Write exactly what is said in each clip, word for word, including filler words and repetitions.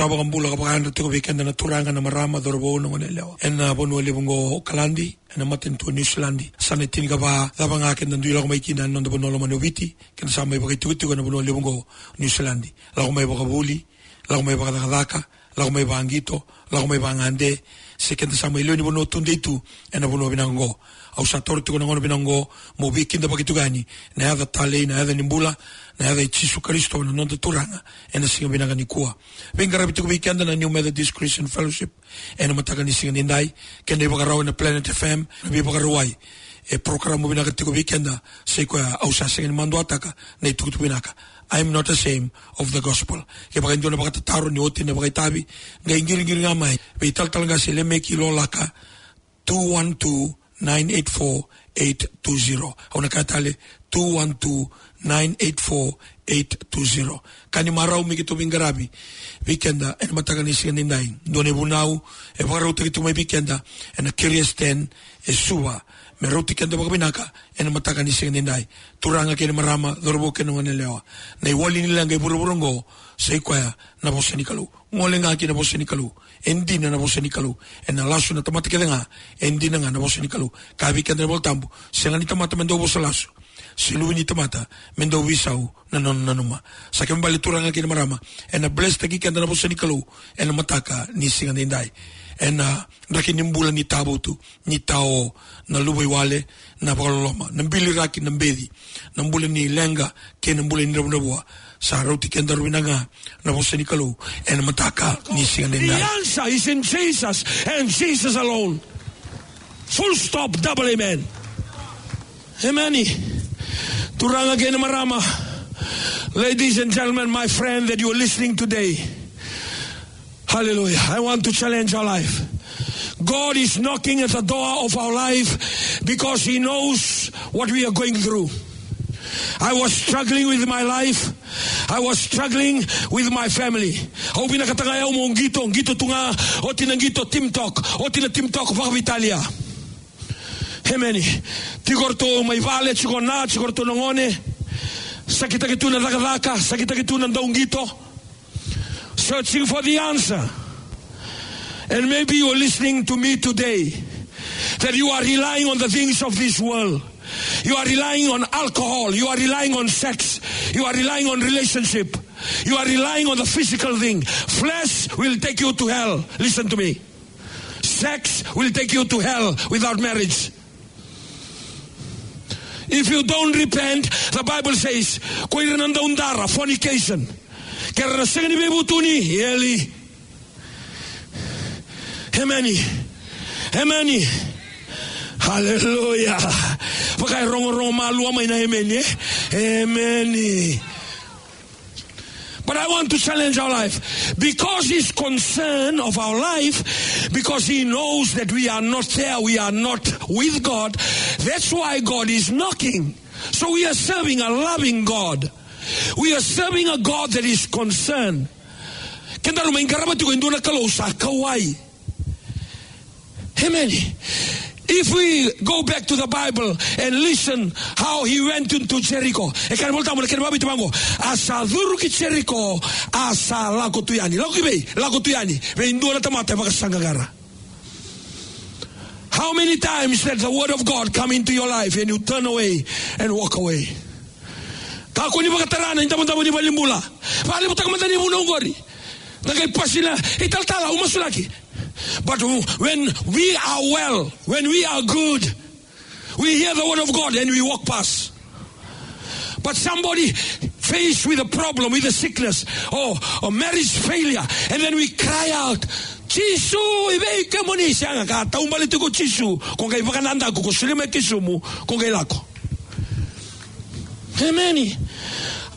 Sa vakabula ka vakayadra tiko vei keda na turaga, na marama, cauravou, na goneyalewa ena vanua levu oqo o Okaladi, ena matanitu o Niusiladi. Sa na tinikava cava ga keda dui lako mai kina ena noda vanua lomani o Viti, keda sa mai vakaitikotiko ena vanua levu oqo o Niusiladi. Lako mai vakavuli, lako mai vakacakacaka, lako mai vaqito, lako mai vagade, se keda sa mai lewe ni vanua tudei tu ena vanua vinaka oqo. Au sa taura tiko na gauna vinaka oqo meu veikidavaki tiko yani na yaca talei, na yaca ni bula, na yaca i Jisu Karisito na noda Turaga, ena siga vinaka nikua. Veiqaravi tiko vei keda na New Methodist Christian Fellowship ena mataka ni siga nidai, kei na ivakarau ena Planet F M, na veivakarauwai. E porokaramu vinaka tiko vei keda, sa i koya au sa sega ni maduataka na itukutuku vinaka. I am not ashamed of the gospel. Kevaka e dua na vakatataro ni oti na vakaitavi, qai qiriqiri ga mai vei talatala qase Lemeki Lolaka, two one two, nine eight four, eight two zero. Au na kaya tale, two one two, nine eight four, eight two zero. Ka ni marau me keitou veiqaravi vei keda ena mataka ni siga nidai. Dua na ivunau e vakarautaki tu mai vei keda ena Curious Ten e Suva, me rauti keda vakavinaka ena mataka ni siga nidai. Turaga kei na marama, cauravou kei na goneyalewa, na iwali ni leqa e vuravura oqo sa i koya na vosa ni Kalou. Gole ga ki na vosa ni Kalou. E dina na vosa ni Kalou. Ena lasu na tamata kece ga, e dina ga na vosa ni Kalou. Kaya vei keda na iVolatabu, sega ni tamata me dau vosa lasu, se luve ni tamata me dau veisau na nona nanuma. Sa kena ibalebale, turaga kei na marama, ena blesstaki keda na vosa ni Kalou ena mataka ni siga nidai. Ena draki ni bula ni tavutu, ni tao, na luvaiwale, na vakaloloma, na biliraki, na beci, na bula ni leqa kei na bula ni dravudravua. Sa rauti kedaru vinaka ga na vosa ni Kalou ena mataka ni siga nidai. The answer is in Jesus and Jesus alone. Full stop, double amen. Amen. Turaga kei na marama, ladies and gentlemen, my friend that you are listening today. Hallelujah. I want to challenge our life. God is knocking at the door of our life because He knows what we are going through. I was struggling with my life. I was struggling with my family. Au vinakata ga o yau meu qito, qito tu ga, oti na qito TikTok, oti na TikTok vakaveitalia. Amen. Tiko ratou mai vale, tiko na, tiko ratou na gone. Sakitaki tu na cakacaka, sakitaki tu na dauqito. Searching for the answer. And maybe you are listening to me today, that you are relying on the things of this world. You are relying on alcohol. You are relying on sex. You are relying on relationship. You are relying on the physical thing. Flesh will take you to hell. Listen to me. Sex will take you to hell without marriage. If you don't repent, the Bible says, ko ira na daudara, fornication, ke ra na sega ni veivutuni, eli. Amen. Amen. Hallelujah. Vaka e rogorogo malua mai na amen, e? Amen. But I want to challenge our life. Because He's concerned of our life, because He knows that we are not there, we are not with God, that's why God is knocking. So we are serving a loving God. We are serving a God that is concerned. Kedaru mai qarava tiko e dua na Kalou sa kauwai. Amen. If we go back to the Bible and listen how he went into Jericho. E kaya na iVolatabu na kena vakaviti vaqo. A sa curu ki Jericho, a sa lako tu yani. Lako ki vei? Lako tu yani vei dua na tamata e vakasaqaqara. How many times that the word of God come into your life and you turn away and walk away? Kakua ni vakatara na idavodavo ni valenibula. Vakalevutaka mada na ivunau oqori. Na qai pasi na italatala, au masulaki. But when we are well, when we are good, we hear the word of God and we walk past. But somebody faced with a problem, with a sickness, or, or marriage failure, and then we cry out, "Jisu, i vei kemuni?" Sega, ka taubale tiko o Jisu, ko qai vakanadaku, ko solia mai kesumu, ko qai lako. Amen.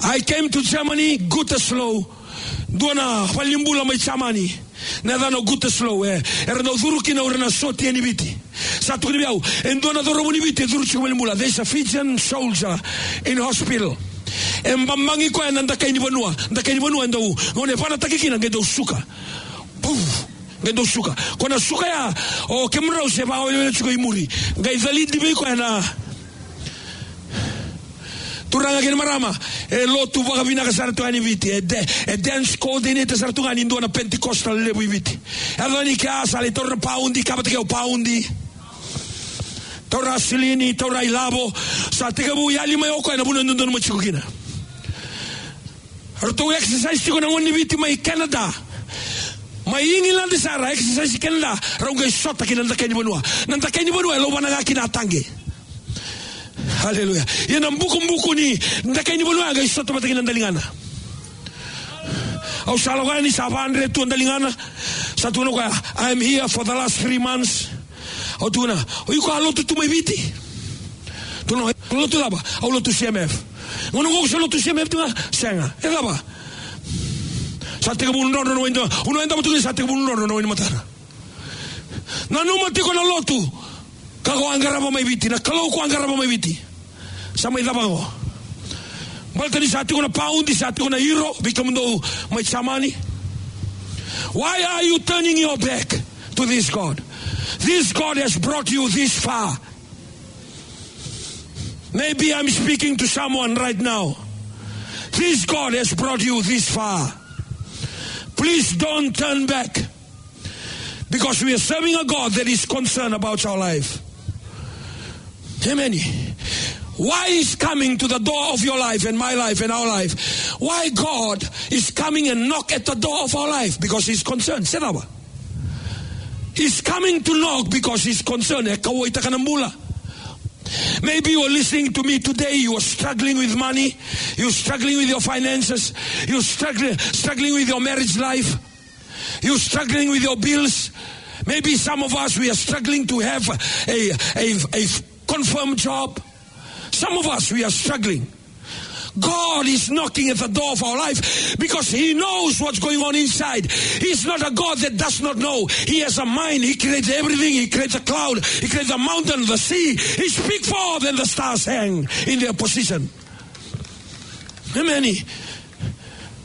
I came to Germany, Gütersloh. Dua na valenibula mai Jamani. Na yacana o Gütersloh, e. Era dau curu kina o ira na sotia ni Viti. Sa tukuni vei au, e dua na cauravou ni Viti e curu tiko valenibula. There's a Fijian soldier in hospital. E babagi koya na dakai ni vanua. Dakai ni vanua e dau, gauna e vanataki kina, qai dau suka. Puf, qai dau suka. Ko na suka ya, o kemudrau se vakawelewele tiko i muri. Qai calidi vei koya na Turaga kei na marama, e lotu vakavinaka sara tu yani Viti. E de, e dance coordinator sara tu ga ni dua na Pentecostal levu i Viti. Yaco yani kea sa lai taura na paudi, ka vata kei au paudi. Taura silini, taura ilavo. Sa tekivu yali mai o koya na vanua e dodonu mo tiko kina. Ratou exercise tiko na gone ni Viti mai Canada. Mai England sara, exercise Canada. Rau qai sota ki na dakai ni vanua. Na dakai ni vanua e lauvana ga ki na taqe. Aleluya. Ia na bukubuku ni dakai ni vanua qai sota vata kei na daligana. Au sa lako yani sa vadre tu a daligana. Sa tukuna o koya, "I'm here for the last three months." Au tukuna, "O iko a lotu tu mai Viti?" Tukuna, "Lotu cava?" "Au lotu C M F." "Gauna qo o sa lotu C M F tu ga?" "Sega." "E cava?" Sa tekivu drodro na wai ni matana. Au nanuma tiko ni sa tekivu drodro na wai ni matana. Nanuma tiko na lotu ka ko a qarava mai Viti, na Kalou ko a qarava mai Viti. Sa mai cava qo? Baleta ni sa tiko na paudi, sa tiko na euro, vei kemudou mai Jamani. Why are you turning your back to this God? This God has brought you this far. Maybe I'm speaking to someone right now. This God has brought you this far. Please don't turn back. Because we are serving a God that is concerned about our life. Amen. Why is coming to the door of your life and my life and our life? Why God is coming and knock at the door of our life? Because he's concerned. Se cava? He's coming to knock because he's concerned. E kauwaitaka na bula. Maybe you are listening to me today, you are struggling with money, you're struggling with your finances, you're struggling, struggling with your marriage life. You're struggling with your bills. Maybe some of us, we are struggling to have a, a, a confirmed job. Some of us, we are struggling. God is knocking at the door of our life because he knows what's going on inside. He's not a God that does not know. He has a mind. He creates everything. He creates a cloud. He creates a mountain, the sea. He speaks forth and the stars hang in their position. Amen.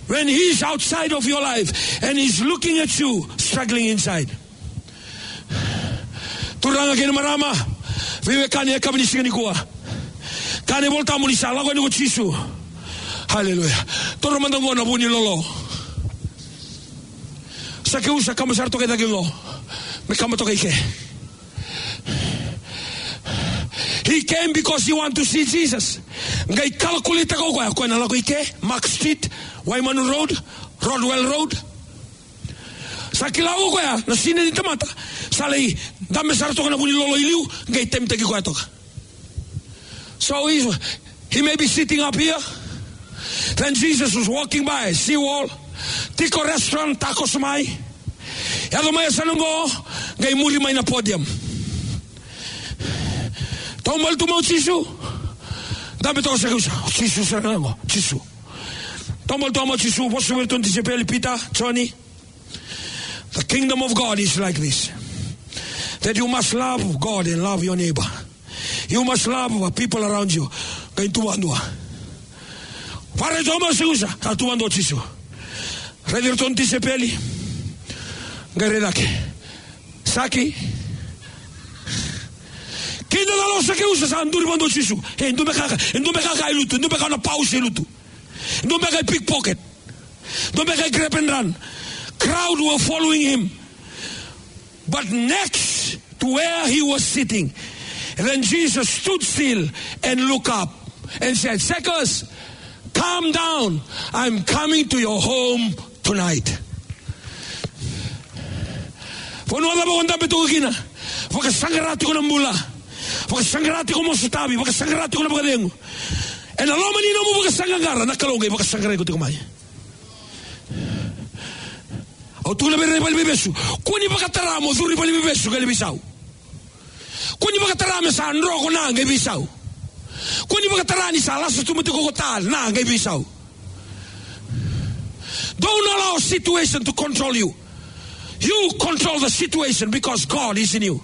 When he is outside of your life and he's looking at you struggling inside. Turaga kei na marama, veiwekani, e kava ni siga nikua. Kaya na iVolatabu ni sa lako yani ko Jisu. Haleluya. Toro mada qo na vu ni lolo. Sakeus a kaba sara toka i cake qo. Me kaba toka i ke. He came because he want to see Jesus. Qai calculate-taka o koya, o koya na lako i ke, Mark Street, Waimanu Road, Rodwell Road. Sa kila o koya na sina ni tamata sa lai dabe sara toka na vu ni lolo i liu, qai taimitaki koya toka. So he, he may be sitting up here. Then Jesus was walking by, seawall. Tiko restaurant, tacos mai. Yaco mai yasana qo, qai muri mai na podium. Taubale tu mai o Jisu. Dabe toka o Sakeus. O Jisu sara ga qo, Jisu. Taubale tu mai o Jisu, vosa vei iratou na tisaipeli, Pita, Joni. The kingdom of God is like this. That you must love God and love your neighbor. You must love the people around you. Qai tu vakadua. Vakaraica mai o Sakeus, sa tu vakadua o Jisu. Raici iratou na tisaipeli. Qai rai cake. Saki. Kidacala o Sakeus, sa duri vakadua o Jisu. E dua beka, e dua beka e lutu, e dua beka na pau se lutu. Dua beka e pickpocket. Dua beka e grab and run. Crowd were following him. But next to where he was sitting, then Jesus stood still and looked up and said, "Zacchaeus, come down. I'm coming to your home tonight." Vanua cava o dabe toka kina, vakasaqara tiko na bula, vakasaqara tiko mo sotavi, vakasaqara tiko na vakacegu. Ena loma ni nomu vakasaqaqara, na Kalou qai vakasaqarai iko tiko mai. Au tukuna vei ira na ivaleniveivesu, kua ni vakatara mo curu i valeniveivesu qai lai veisau. Kua ni vakatara me sa dro ko Na qai veisau. Kua ni vakatara ni sa lasa tu mada ko Ta Na qai veisau. Don't allow situation to control you. You control the situation because God is in you.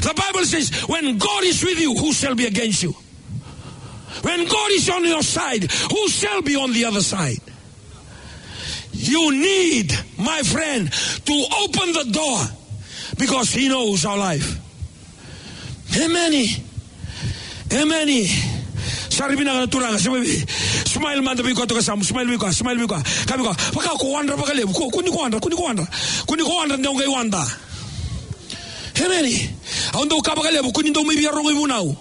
The Bible says, "When God is with you, who shall be against you?" When God is on your side, who shall be on the other side? You need, my friend, to open the door because he knows our life. Amen. Amen. Sa rairai vinaka na Turaga, sa vei. Smile mada vei koya toka yasamu, smile vei koya, smile vei koya. Kaya vei koya, vaka ko wadra vakalevu, ko, kua ni ko wadra, kua ni ko wadra. Kua ni ko wadra, de o qai wada. Emeni. Au dau kaya vakalevu, kua ni dau mai via rogo ivunau.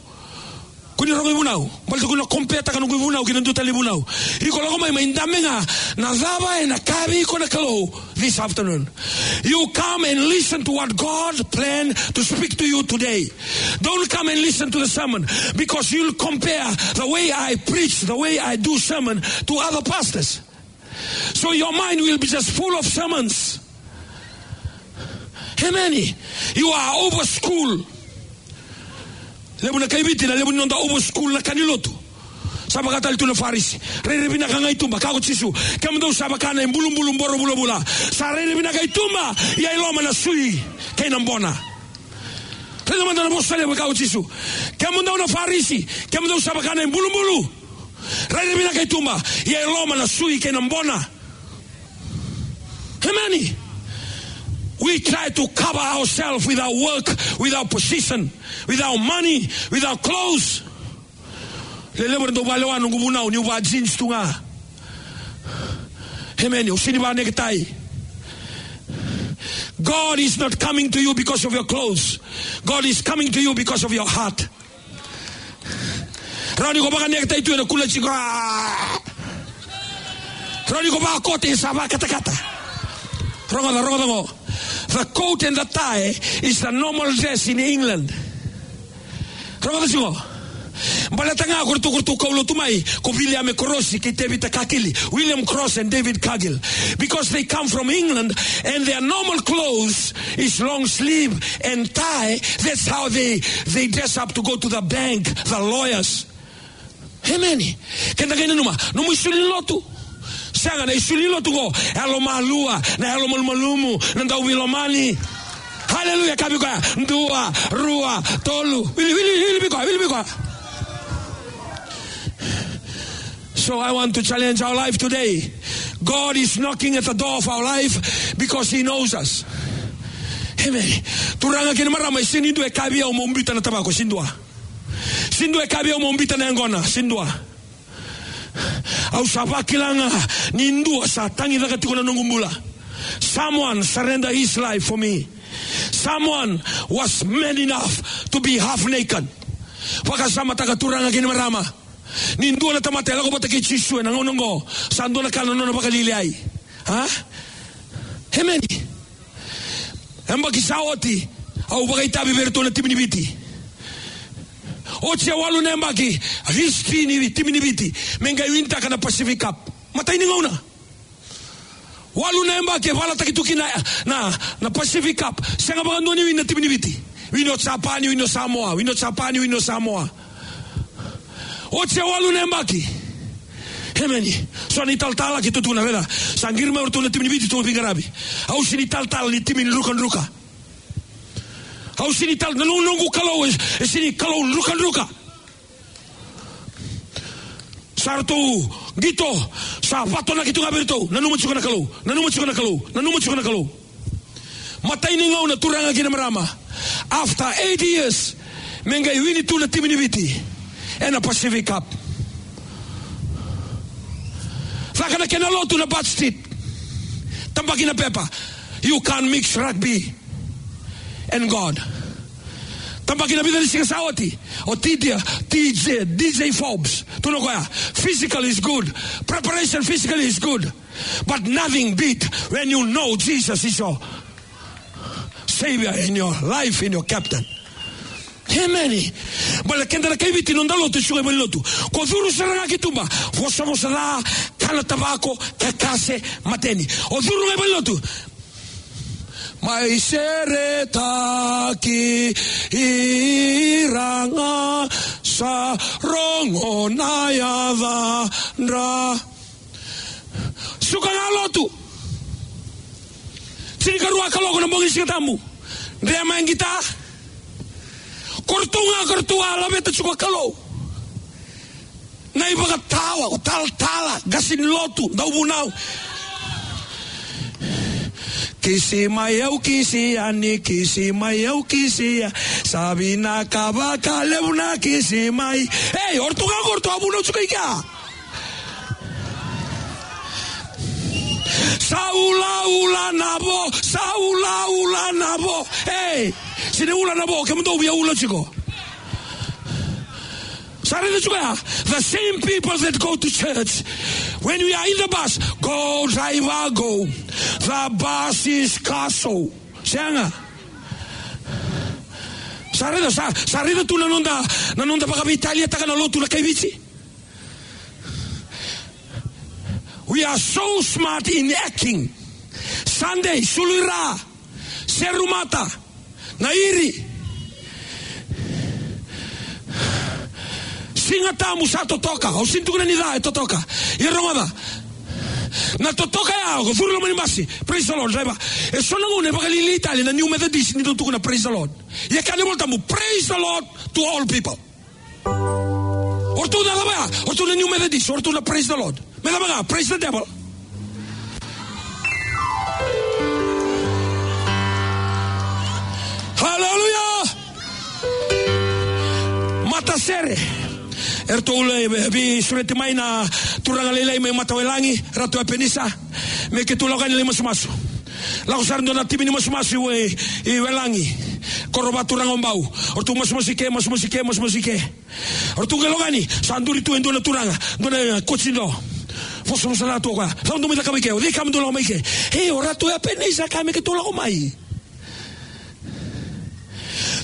Kua ni rogo ivunau. Baleta kua ni compare-taka noqu ivunau kei na dua tale na ivunau. Iko lako mai, mai dabe ga na cava ena kaya vei iko na Kalou this afternoon. You come and listen to what God planned to speak to you today. Don't come and listen to the sermon, because you'll compare the way I preach, the way I do sermon to other pastors. So your mind will be just full of sermons. Emeni. You are over school. Levu na kai Viti, na levu ni noda over school na ka ni lotu. Sa vaka tale tu na Farisi. Rairai vinaka ga i tuba, kaya ko Jisu. Kemudou sa vaka na ibulubulu boro vulavula. Sa rairai vinaka i tuba, ia i loma na sui kei na bona. Raica mada na vosa levu, kaya ko Jisu. Kemudou na Farisi, kemudou sa vaka na ibulubulu. Rairai vinaka i tuba, ia i loma na sui kei na bona. Emeni. We try to cover ourselves with our work, with our position, with our money, with our clothes. Lelevu era dau valewa noqu vunau, niu va jeans tu ga. Emeni, au sega ni va necktie. God is not coming to you because of your clothes. God is coming to you because of your heart. Rawa ni ko vaka necktie tu ena kula tiko. Rawa ni ko vakakote sa vakatakata. Rogoca, rogoca qo. The coat and the tie is the normal dress in England. Rogoca tiko. Baleta ga ko ratou, ko ratou kaulotu mai ko William Cross kei Tevita Kakili. William Cross and David Cargill. Because they come from England and their normal clothes is long sleeve and tie. That's how they, they dress up to go to the bank, the lawyers. Emeni. Keda qai nanuma, nomu isulu ni lotu. Sega, na isulu ni lotu qo, yalomalua, na yalomalumalumu, na dauveilomani. Haleluya, kaya vei koya, dua, rua, tolu. Wili, wili, wili vei koya, wili vei koya. So I want to challenge our life today. God is knocking at the door of our life because He knows us. Emeni. Turaga kei na marama, e sega ni dua e kaya vei au meu biuta na tavako, sega ni dua. Sega ni dua e kaya vei au meu biuta na yaqona, sega ni dua. Au sa vakila ga ni dua sa tagicaka tiko na noqu bula. Someone surrender his life for me. Someone was man enough to be half naked. Vakasamataka, turaga kei na marama. Ni dua na tamata e lako vata kei Jisu ena gauna oqo, sa dua na ka na nona vakalialiai. A? Emeni. Yabaki sa oti, au vakaitavi vei iratou na timi ni Viti. Oti e walu na yabaki, history ni timi ni Viti me qai winitaka na Pacific Cup. Matai ni gauna. Walu na yabaki e valataki tu kina na, na Pacific Cup. Sega vakadua ni wini na timi ni Viti. Wini o Japani, wini o Samoa, wini o Japani, wini o Samoa. Oti e walu na yabaki. Emeni. So na italatala keitou tukuna, raica. Sa qiri mai o ratou na timi ni Viti, ratou veiqaravi. Au sega ni talatala ni timi ni drukadruka. Au sega ni tal-, na noqu, noqu Kalou, e, e sega ni Kalou drukadruka. Sa ratou qito, sa vatonaki tu ga vei iratou. Nanuma tiko na Kalou, nanuma tiko na Kalou, nanuma tiko na Kalou. Matai ni gauna, turaga kei na marama. After eight years, me qai wini tu na timi ni Viti ena Pacific Cup. Caka na kena lotu na Butt Street. Tabaki na pepa. You can't mix rugby and God. Tabaki na vica ni siga sa oti. O T D, T J, D J Forbes. Tukuna o koya. Physical is good. Preparation physically is good. But nothing beat when you know Jesus is your Savior in your life, in your captain. Emeni. Baleta keda na kai Viti, noda lotu e suka i valenilotu. Ko curu sara ga ki tuba, vosavosa ca, kana tavako, kakase, mateni. O curu ga i valenilotu. Mai seretaki ira ga sa rogo na yacadra. Suka ga lotu. Tinikarua kaloko na bogi ni Siga Tabu. Dre mai qita. Ko ratou ga, ko ratou a laveta tiko na Kalou. Na ivakatawa, o talatala, qase ni lotu, dauvunau. Kisi mai au, kisi yani, kisi mai au, kisi ya. Sa vinaka vakalevu na kisi mai. Ei, o ratou ga qo, o ratou a vunau tiko i kea. Sa ulaula na vo, sa ulaula na vo. Ei, sega ni ula na vo, kemudou via ula tiko. Sa raica tiko ya, the same people that go to church, when we are in the bus, "Go, driver, go. The bus is castle." Sega. Sa raica, sa, sa raica tu na noda, na noda vakaveitaliataka na lotu na kai Viti. We are so smart in acting. Sunday, sulu i ra, seru mata, na iri. Siga Tabu sa totoka, au sega ni tukuna ni ca, e totoka. Ia rogoca. Na totoka ya, o curu loma ni basi. Praise the Lord, driver. E so na gauna e vakalialiai tale na New Methodist ni dau tukuna praise the Lord. Ia kaya na iVolatabu, praise the Lord to all people. O ratou na cava ya? O ratou na New Methodist, o ratou na praise the Lord. Me cava ga, praise the devil. Hallelujah. Matasere. Eratou lai, e, veisureti mai na turaga lailai mai Matawelagi, Ratu Epenisa. Me keitou lako yani lai masumasu. Lako sara dua na timi ni masumasu i, i Welagi. Koro vakaturaga o Bau. O ratou masumasu i ke, masumasu i ke, masumasu i ke. O ratou qai lako yani, sa duri tu e dua na turaga, dua na, e, koci do. Vosavosa na tu o koya. Cava dou mai cakava i ke? O cei kemudou lako mai ke? E, o Ratu Epenisa kaya me keitou lako mai.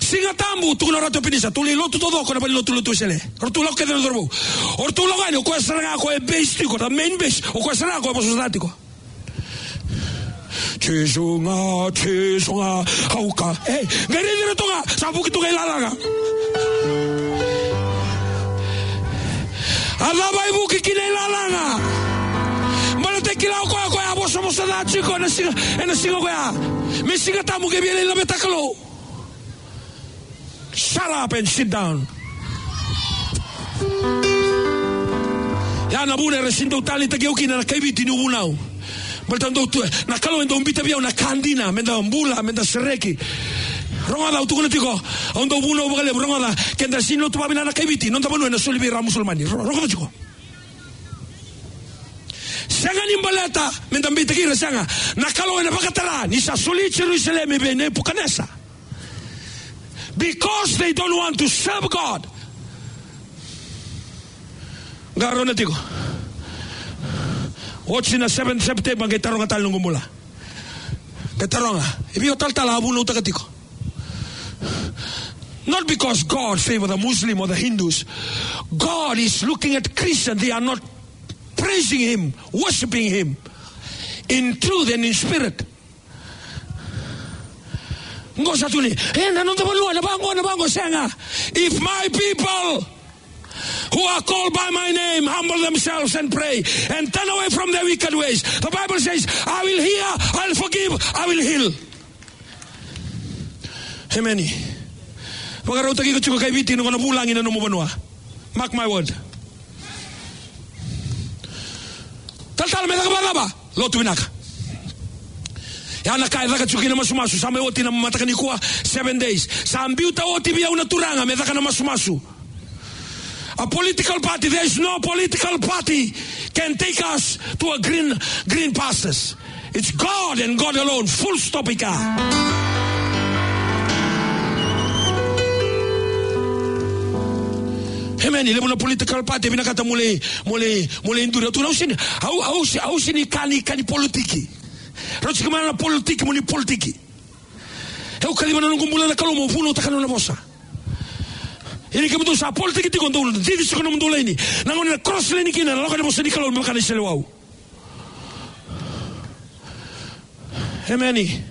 Siga Tabu, tukuna o Ratu Epenisa, tou lai lotu taucoko na valenilotu, lotu Wesele. O ratou lako kece na cauravou. O ratou lako yani, o koya sara ga o koya e base tiko, na main base, o koya sara ga o koya e vosavosa tiko. Jisu ga, Jisu ga, au kaya. Ei, qai raici iratou ga, sa vuki tu ga i lalaga. A cava e vuki kina i lalaga? Baleta e kila o koya, o koya a vosavosa ca tiko ena siga, ena siga koya. Me Siga Tabu qai via lai laveta na Kalou. Shut up and sit down. Ya na vuna era sega ni dau taleitaki au kina na kai Viti niu vunau. Baleta dau tu, na Kalou e dau biuta vei au na ka dina, meda bula, meda sereki. Rogoca, au tukuna tiko, au dau vunau vakalevu, rogoca, keda sega ni lotu vakavinaka na kai Viti, noda vanua ena soli vei ira na Musulamani. Ro-, rogoca tiko. Sega ni baleta meda beitaki ira, sega. Na Kalou ena vakatara ni sa soli Jerusalemi vei Nepukanesa. Because they don't want to serve God. Qarauna tiko. Oti na seven September, qai taroga tale noqu bula. Qai taroga. E vei o talatala a vunautaka tiko? Not because God favor the Muslim or the Hindus. God is looking at Christian. They are not praising him, worshiping him in truth and in spirit. Qo sa tukuni, e, na noda vanua, na vaqo, na vaqo, sega. If my people who are called by my name humble themselves and pray and turn away from their wicked ways, the Bible says, I will hear, I will forgive, I will heal. Emeni. Vakarautaki iko tiko kai Viti, iko na vulagi na nomu vanua. Mark my word. Talatala, me caka vakacava? Lotu vinaka. Ya na ka e caka tiko kina na masumasu. Sa mai oti na mataka nikua, seven days. Sa biuta oti vei au na Turaga me caka na masumasu. A political party, there is no political party can take us to a green, green pastures. It's God and God alone. Full stop i ka. Emeni. Levu na political party e vinakata mo lai, mo lai, mo lai duri. Au tukuna, au sega ni, au, au se-, au sega ni kani, kani politiki. Rau tiko mai na politiki, mo ni politiki. Au kaciva na noqu bula na Kalou mo vunautaka na nona vosa. Ia ni kemudou sa politiki tiko, dou cici tiko na nomudou laini. Na gauna na cross laini kina, na lako na vosa ni Kalou me vaka na iseleiwau. Emeni.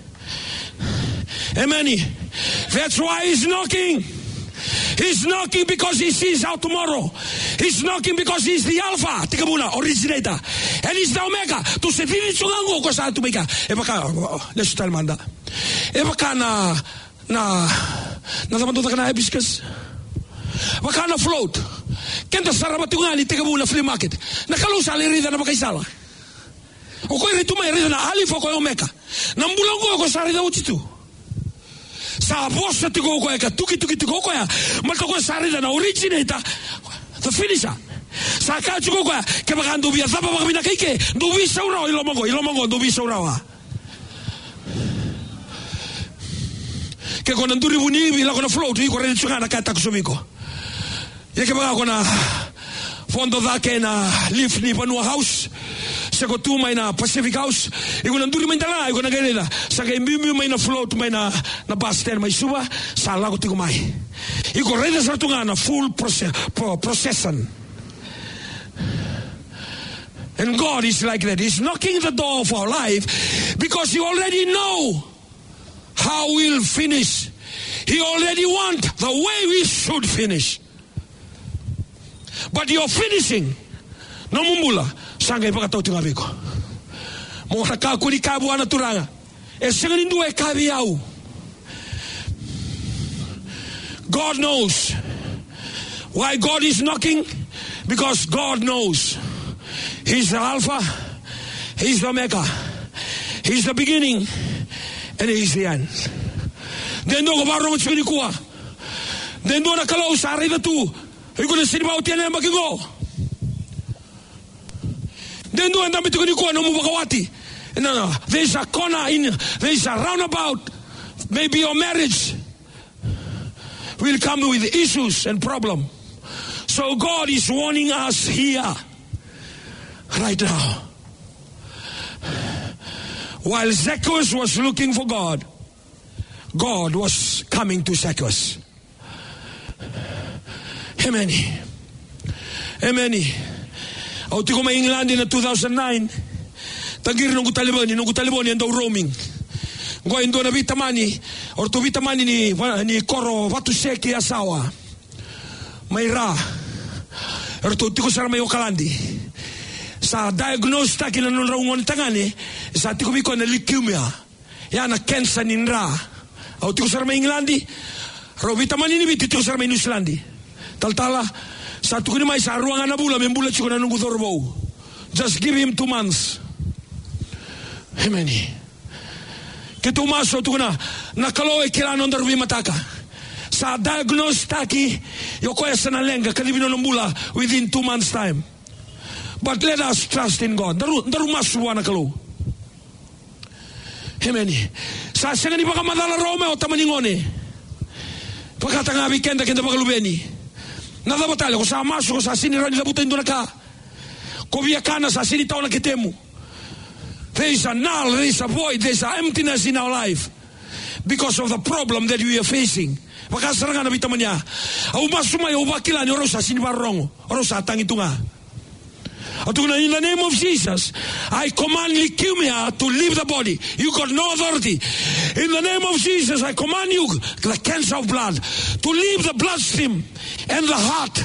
Emeni. That's why he's knocking. He's knocking because he sees our tomorrow. He's knocking because he's the Alpha, tekivu na, originator. And he's the Omega. Tou se cici tu ga qo, o koya sa tu mai kea. E vaka, lesu tale mada. E vaka na, na, na cava dou caka na hibiscus? Vaka na float. Keda sarava tiko ga ni tekivu na flea market. Na Kalou sa lai raica na vakaisala. O koya e rai tu mai, e raica na Alifa, o koya Omeka. Na bula oqo o koya sa raica oti tu. Sa vosa tiko o koya ka tukituki tiko o koya. Baleta o koya sa raica na originator, the finisher. Sa kaya tiko o koya, kevaka dou via cava vakavinaka i ke, dou veisau rawa i loma qo, i loma qo, dou veisau rawa. Ke ko na duri vuni ivi, lako na float, iko raica tiko ga na ka e takosovi iko. Ia kevaka ko na vodo cake na lift ni Vanua House, se ko tu mai na Pacific House, iko na duri mai dala, iko na qai raica sa qai biubiu mai na float mai na, na bus stand mai Suva, sa lako tiko mai. Iko raica sara tu ga na full proce-, pro-, procession. And God is like that. He's knocking the door of our life because He already know how we'll finish. He already want the way we should finish. But your finishing, nomu bula, sa qai vakatau tiko ga vei iko. Mo na kakua ni kaya vua na Turaga, e sega ni dua e kaya vei au. God knows. Why God is knocking? Because God knows. He's the Alpha, He's the Omega, He's the beginning, and He's the end. De dua ko vakarorogo tiko nikua. De dua na Kalou sa raica tu, iko na sega ni vakaotia na yabaki qo. De dua e dabe tiko nikua nomu vakawati. No, no. There's a corner in, there's a roundabout. Maybe your marriage will come with issues and problem. So God is warning us here right now. While Zacchaeus was looking for God, God was coming to Zacchaeus. Emeni. Emeni. Au tiko mai England na two thousand nine. Taqiri noqu talevoni, noqu talevoni e dau roaming. Qo e dua na veitamani, o ratou veitamani ni, ni koro Vatusekei, Yasawa. Mai Ra. O ratou tiko sara mai Okaladi. Sa diagnose taki na nodrau gone tagane, sa tiko vei koya na leukemia. Ya na kenisa ni dra. Au tiko sara mai Igiladi. Rau veitamani ni Viti tiko sara mai Niusiladi. Talatala, sa tukuni mai sa rua ga na vula me bula tiko na noqu cauravou. Just give him two months. Emeni. Keitou masu, au tukuna, na Kalou e kila na nodaru veimataka. Sa diagnose taki, o koya sa na leqa, kacivi nona bula within two months time. But let us trust in God. Daru, daru masu vua na Kalou. Emeni. Sa sega ni vakamacala rawa mai o tama ni gone. Vakataka ga vei keda, keda vakaluveni. Na cava tale, ko sa masu, ko sa sega ni rawa ni cavuta e dua na ka. Ko via kana, sa sega ni tawa na ketemu. There is a null, there is a void, there is a emptiness in our life because of the problem that we are facing. Vaka sara ga na veitamani ya. Au masu mai, au vakila ni o rau sa sega ni vakarorogo. O rau sa tagi tu ga. Au tukuna, in the name of Jesus, I command leukemia to leave the body. You got no authority. In the name of Jesus, I command you, the cancer of blood, to leave the bloodstream and the heart.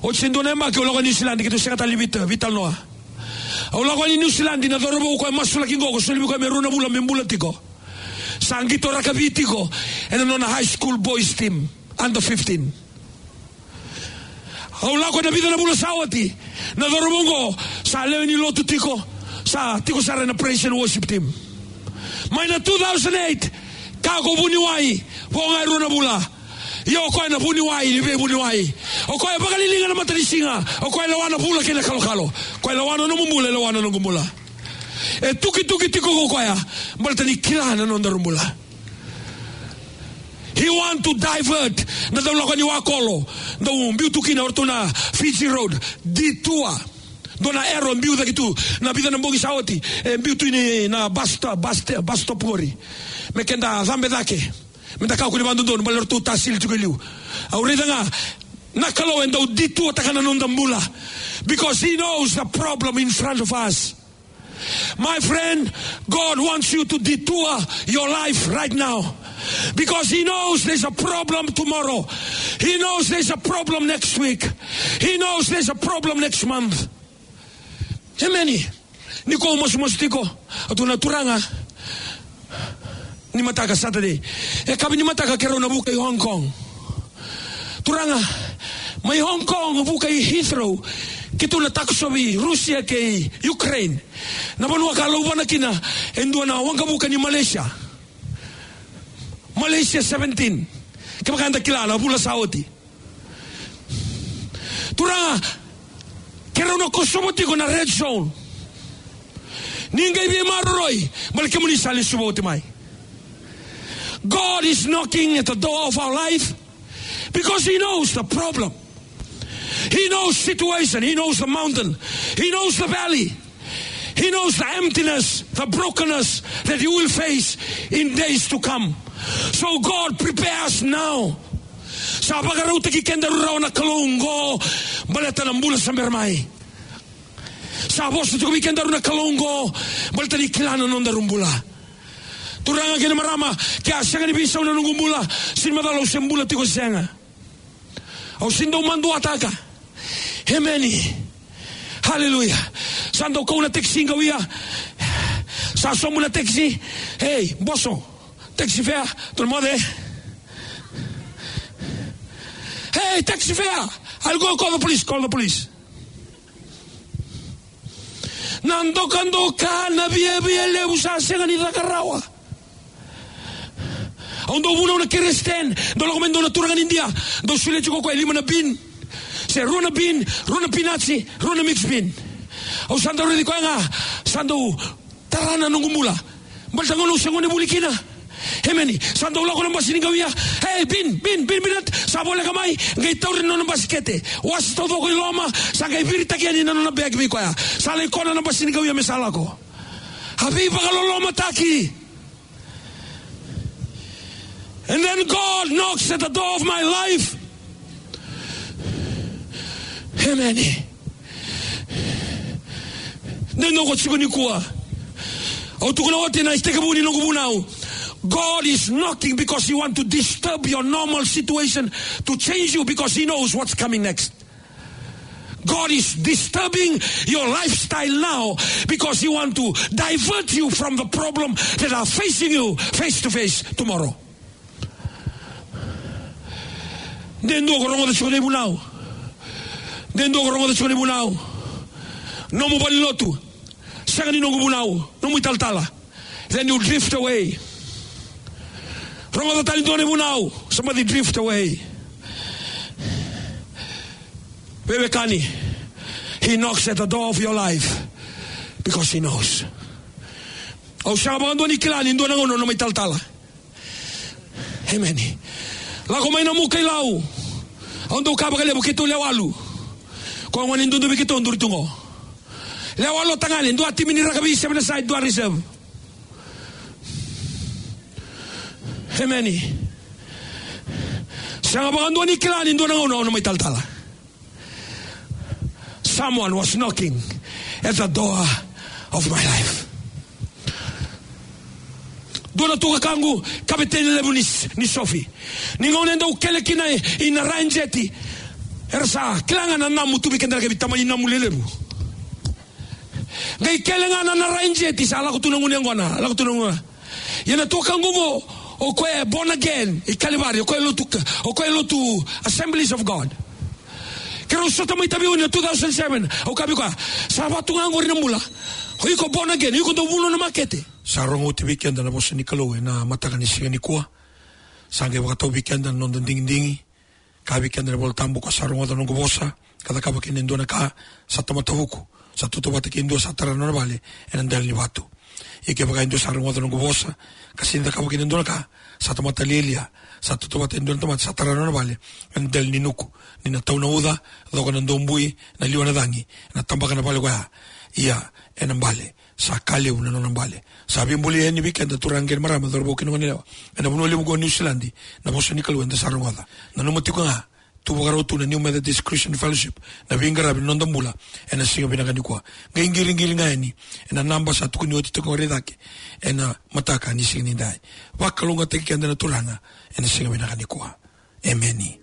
Oti e dua na yabaki au lako i Niusiladi, keitou sega tale ni veitalanoa. Au lako i Niusiladi, na cauravou koya masulaki qo, ko soli vei koya me rua na vula me bula tiko. Sa qito rakavi tiko ena nona high school boys team, under fifteen. Au lako ena vica na vula sa oti, na cauravou qo sa lewe ni lotu tiko, sa tiko sara ena praise and worship team. Mai na two thousand eight, ka ko vuniwai, vo ga e rua na vula. Ia o koya na vuniwai ni veivuniwai. O koya e vakaliliga na matanisiga. O koya e lewa na vula kei na kalokalo. O koya e lewa na nomu bula, e lewa na noqu bula. E tukituki tiko ko koya, baleta ni kila na nodaru bula. He want to divert. Na dau lako yani Wakolo, dau biu tu kina o ratou na Fiji Road, detour. Dua na arrow biu cake tu, na vica na bogi sa oti, e biu tu ni na bus stop, bus sta-, bus stop qori. Me keda cabe cake. Meda kakua ni vakadodonu, baleta ratou tasili tiko e liu. Au raica ga, na Kalou e dau detour taka na noda bula. Because he knows the problem in front of us. My friend, God wants you to detour your life right now. Because he knows there's a problem tomorrow. He knows there's a problem next week. He knows there's a problem next month. Emeni. Ni ko masumasu tiko, au tukuna, Turaga, ni mataka Saturday, e kavi ni mataka keirau na vuka i Hong Kong. Turaga, mai Hong Kong vuka i Heathrow, keitou na takosovi Rusia kei Ukraine, na vanua ka lauvana kina e dua na waqavuka ni Malaysia. Malaysia seventeen. Kevaka eda kila na vula sa oti. Turaga, keirau na kosova tiko na red zone. Ni qai veimaroroi, baleta kemuni sa lesuva oti mai. God is knocking at the door of our life because he knows the problem. He knows situation, he knows the mountain, he knows the valley. He knows the emptiness, the brokenness that you will face in days to come. So God, prepare us now. Sa vakarautaki kedaru rawa na Kalou oqo, baleta na bula sa bera mai. Sa vosa tiko vei kedaru na Kalou oqo, baleta ni kila na nodaru bula. Turaga kei na marama, ke a sega ni veisau na noqu bula, sega ni macala au se bula tiko se sega. Au sega ni dau maduataka. Emeni. Haleluya. Sa dau kau na taxi qo ia. Sa sobu na taxi. Ei, boso. Taxi fare. Tolu moce. Hey, taxi fare. I'll go call the police. Call the police. Na dokadoka, na viavia levu sa sega ni caka rawa. Au dau vunau na kerei stand, dau lako mai dua na turaga ni Idia, dau solia tiko o koya e lima na bean. Se rua na bean, rua na pinati, rua na mix bean. Au sa dau raici koya ga, sa dau tara na noqu bula. Baleta gauna au se gone vuli kina. Emeni. Sa dau lako na basi ni qau ia. Hey, bean, bean, bean, bean nut. Sa voleka mai, qai tauri na nona basikete. Wasi taucoko i loma, sa qai viritaki yani na nona bag vei koya. Sa lai kona na basi ni qau ia me sa lako. A veivakalolomataki. And then God knocks at the door of my life. Emeni. Dua na ka tiko nikua. Au tukuna oti na itekivu ni noqu vunau. God is knocking because he want to disturb your normal situation to change you because he knows what's coming next. God is disturbing your lifestyle now because he want to divert you from the problem that are facing you face to face tomorrow. De dua ko rogoca tiko na ivunau. De dua ko rogoca tiko na ivunau. Nomu valenilotu. Sega ni noqu vunau. Nomu italatala. Then you drift away. Rogoca tale dua na ivunau. Somebody drift away. Veiwekani. He knocks at the door of your life because he knows. Au sega vakadua ni kila ni dua na gauna na nomu italatala. Emeni. Lako mai na muka i Lau. Au dau kaya vakalevu keitou lewe walu. Ko gone dudu vei keitou duri tu qo. Lewe walu tagane, dua timi ni rakavi, seven aside, dua reserve. Emeni. Sega vakadua ni kila ni dua na gauna au na mai talatala. Someone was knocking at the door of my life. Dua na tukaqu, kaveteni levu ni, ni sofi. Ni gauna e dau kele kina i na Ryan Jeti. Era sa kila ga na namu tu vei keda na kavi tamani namu lelevu. Qai kele ga na, na Ryan Jeti sa lako tu na gunu yaqona, lako tu na gunu. Ia na tukaqu qo, o koya e born again i Kalivari, o koya e lotu, o koya e lotu Assemblies of God. Keirau sota mai Taveuni na two thousand seven, au kaya vei koya, sa vaka tu ga qori na bula. O iko born again, o iko dau vunau na makete. Sa rogo oti vei keda na vosa ni Kalou ena mataka ni siga nikua. Sa qai vakatau vei keda na noda digidigi. Kaya vei keda na iVolatabu, ko sa rogoca na noqu vosa ka cakava kina e dua na ka, sa tamata vuku, sa tautauvata kei dua sa tara na nona vale ena dela ni vatu. Ia kevaka e dua sa rogoca na noqu vosa ka sega ni cakava kina e dua na ka, sa tamata lialia, sa tautauvata e dua na tamata sa tara na nona vale ena dela ni nuku. Ni na tau na uca, coka na dobui, na liwa na cagi, ena tabaka na vale koya. Ia ena bale, sa ka levu na nona bale. Sa veibolei yani vei keda turaga kei na marama, cauravou kei na goneyalewa ena vanua levu qo Niusiladi, na vosa ni Kalou eda sa rogoca. Nanuma tiko ga, tu vakarau tu na New Methodist Christian Fellowship na veiqaravi ni noda bula ena siga vinaka nikua. Qai qiriqiri ga yani ena naba sa tukuni oti tiko qori cake ena mataka ni siga nidai. Vakalougatataki keda na Turaga ena siga vinaka nikua. Emeni.